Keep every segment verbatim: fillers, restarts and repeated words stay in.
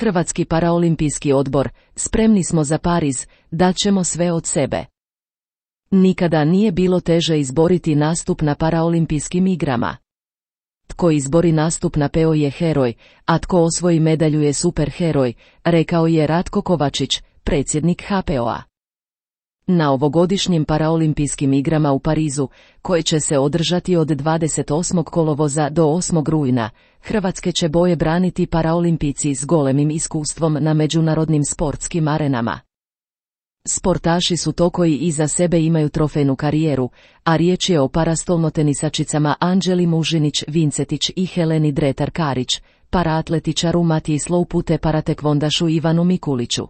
Hrvatski paraolimpijski odbor, spremni smo za Pariz, dat ćemo sve od sebe. Nikada nije bilo teže izboriti nastup na paraolimpijskim igrama. Tko izbori nastup na P O je heroj, a tko osvoji medalju je superheroj, rekao je Ratko Kovačić, predsjednik H P O-a. Na ovogodišnjim paraolimpijskim igrama u Parizu, koje će se održati od dvadeset osmog kolovoza do osmog rujna, hrvatske će boje braniti paraolimpijci s golemim iskustvom na međunarodnim sportskim arenama. Sportaši su to koji iza sebe imaju trofejnu karijeru, a riječ je o parastolnotenisačicama Anđeli Mužinić Vincetić i Heleni Dretar Karić, paraatletičaru Matiji Sloupu te paratekvondašu Ivanu Mikuliću.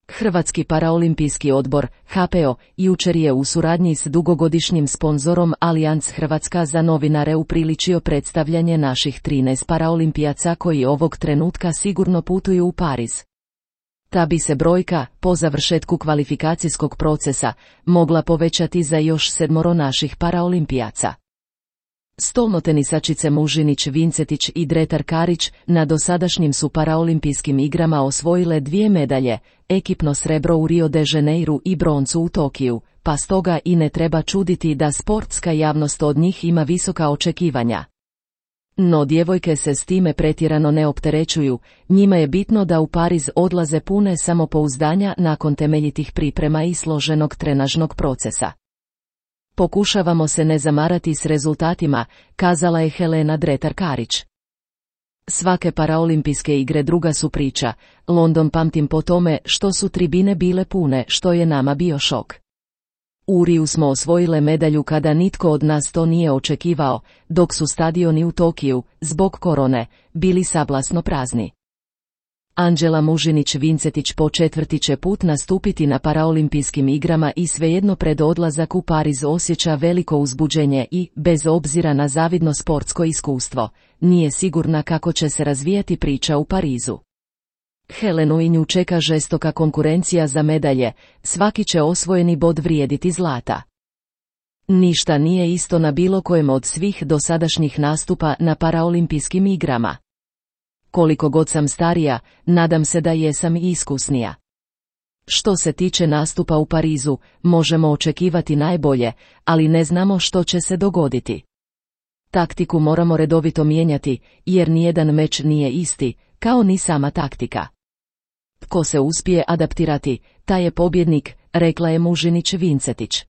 Hrvatski paraolimpijski odbor, H P O, jučer je u suradnji s dugogodišnjim sponzorom Allianz Hrvatska za novinare upriličio predstavljanje naših trinaest paraolimpijaca koji ovog trenutka sigurno putuju u Pariz. Ta bi se brojka, po završetku kvalifikacijskog procesa, mogla povećati za još sedmoro naših paraolimpijaca. Stolnotenisačice Mužinić Vincetić i Dretar Karić na dosadašnjim su paraolimpijskim igrama osvojile dvije medalje, ekipno srebro u Rio de Janeiru i broncu u Tokiju, pa stoga i ne treba čuditi da sportska javnost od njih ima visoka očekivanja. No djevojke se s time pretjerano ne opterećuju, njima je bitno da u Pariz odlaze pune samopouzdanja nakon temeljitih priprema i složenog trenažnog procesa. Pokušavamo se ne zamarati s rezultatima, kazala je Helena Dretar Karić. Svake paraolimpijske igre druga su priča, London pamtim po tome što su tribine bile pune, što je nama bio šok. U Riju smo osvojile medalju kada nitko od nas to nije očekivao, dok su stadioni u Tokiju, zbog korone, bili sablasno prazni. Anđela Mužinić Vincetić po četvrti će put nastupiti na paraolimpijskim igrama i svejedno pred odlazak u Pariz osjeća veliko uzbuđenje i, bez obzira na zavidno sportsko iskustvo, nije sigurna kako će se razvijati priča u Parizu. Helenu i nju čeka žestoka konkurencija za medalje, svaki će osvojeni bod vrijediti zlata. Ništa nije isto na bilo kojem od svih dosadašnjih nastupa na paraolimpijskim igrama. Koliko god sam starija, nadam se da jesam i iskusnija. Što se tiče nastupa u Parizu, možemo očekivati najbolje, ali ne znamo što će se dogoditi. Taktiku moramo redovito mijenjati, jer nijedan meč nije isti, kao ni sama taktika. Tko se uspije adaptirati, taj je pobjednik, rekla je Mužinić Vincetić.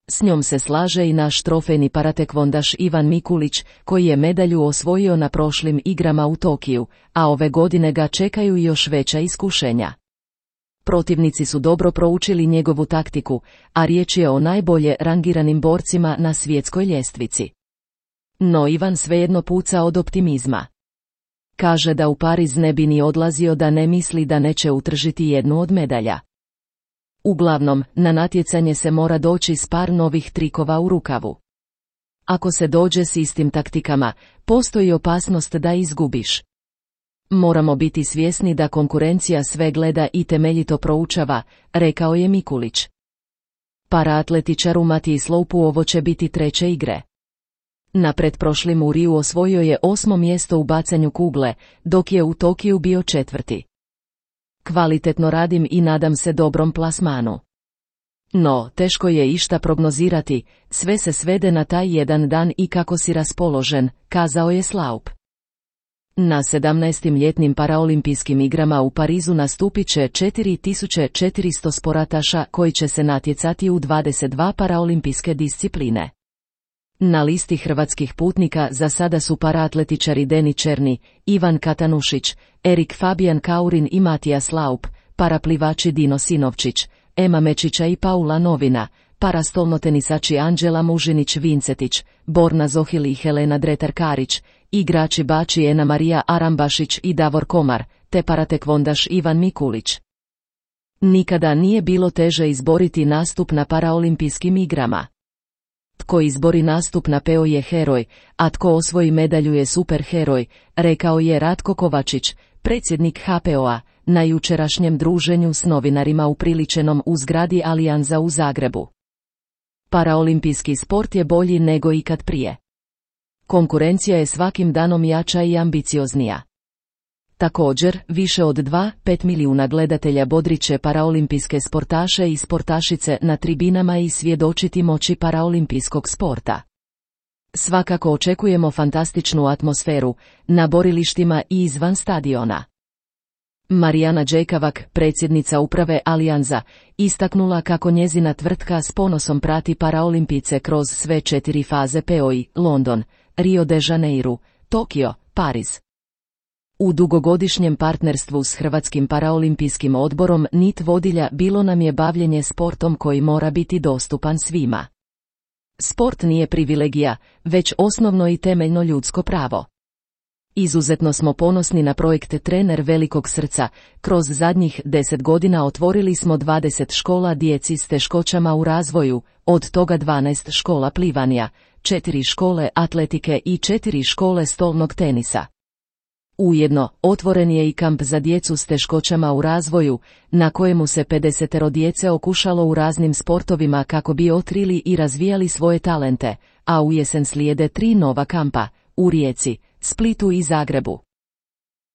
S njom se slaže i naš trofejni paratekvondaš Ivan Mikulić, koji je medalju osvojio na prošlim igrama u Tokiju, a ove godine ga čekaju još veća iskušenja. Protivnici su dobro proučili njegovu taktiku, a riječ je o najbolje rangiranim borcima na svjetskoj ljestvici. No Ivan svejedno puca od optimizma. Kaže da u Pariz ne bi ni odlazio da ne misli da neće utržiti jednu od medalja. Uglavnom, na natjecanje se mora doći s par novih trikova u rukavu. Ako se dođe s istim taktikama, postoji opasnost da izgubiš. Moramo biti svjesni da konkurencija sve gleda i temeljito proučava, rekao je Mikulić. Paraatletičaru Matiji Sloupu ovo će biti treće igre. Na pretprošlim u Riju osvojio je osmo mjesto u bacanju kugle, dok je u Tokiju bio četvrti. Kvalitetno radim i nadam se dobrom plasmanu. No, teško je išta prognozirati, sve se svede na taj jedan dan i kako si raspoložen, kazao je Sloup. Na sedamnaestim ljetnim paraolimpijskim igrama u Parizu nastupit će četiri tisuće četiristo sportaša koji će se natjecati u dvadeset dva paraolimpijske discipline. Na listi hrvatskih putnika za sada su paraatletičari Deni Černi, Ivan Katanušić, Erik Fabijan Kaurin i Matija Sloup, paraplivači Dino Sinovčić, Ema Mečića i Paula Novina, parastolnotenisači Anđela Mužinić Vincetić, Borna Zohil i Helena Dretar Karić, igrači bači Ena Marija Arambašić i Davor Komar, te paratekvondaš Ivan Mikulić. Nikada nije bilo teže izboriti nastup na paraolimpijskim igrama. Tko izbori nastup na P O je heroj, a tko osvoji medalju je superheroj, rekao je Ratko Kovačić, predsjednik H P O-a, na jučerašnjem druženju s novinarima upriličenom u zgradi Allianza u Zagrebu. Paraolimpijski sport je bolji nego ikad prije. Konkurencija je svakim danom jača i ambicioznija. Također, više od dva zarez pet milijuna gledatelja bodriće paraolimpijske sportaše i sportašice na tribinama i svjedočiti moći paraolimpijskog sporta. Svakako očekujemo fantastičnu atmosferu na borilištima i izvan stadiona. Marijana Đejkavak, predsjednica uprave Allianza, istaknula kako njezina tvrtka s ponosom prati paraolimpice kroz sve četiri faze P O I, London, Rio de Janeiro, Tokio, Pariz. U dugogodišnjem partnerstvu s Hrvatskim paraolimpijskim odborom nit vodilja bilo nam je bavljenje sportom koji mora biti dostupan svima. Sport nije privilegija, već osnovno i temeljno ljudsko pravo. Izuzetno smo ponosni na projekte Trener velikog srca. Kroz zadnjih deset godina otvorili smo dvadeset škola djeci s teškoćama u razvoju, od toga dvanaest škola plivanja, četiri škole atletike i četiri škole stolnog tenisa. Ujedno, otvoren je i kamp za djecu s teškoćama u razvoju, na kojemu se pedesetero djece okušalo u raznim sportovima kako bi otkrili i razvijali svoje talente, a u jesen slijede tri nova kampa, u Rijeci, Splitu i Zagrebu.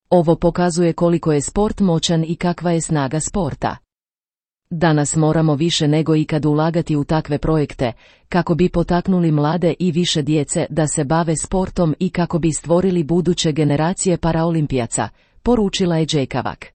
Ovo pokazuje koliko je sport moćan i kakva je snaga sporta. Danas moramo više nego ikad ulagati u takve projekte, kako bi potaknuli mlade i više djece da se bave sportom i kako bi stvorili buduće generacije paraolimpijaca, poručila je Đejkavak.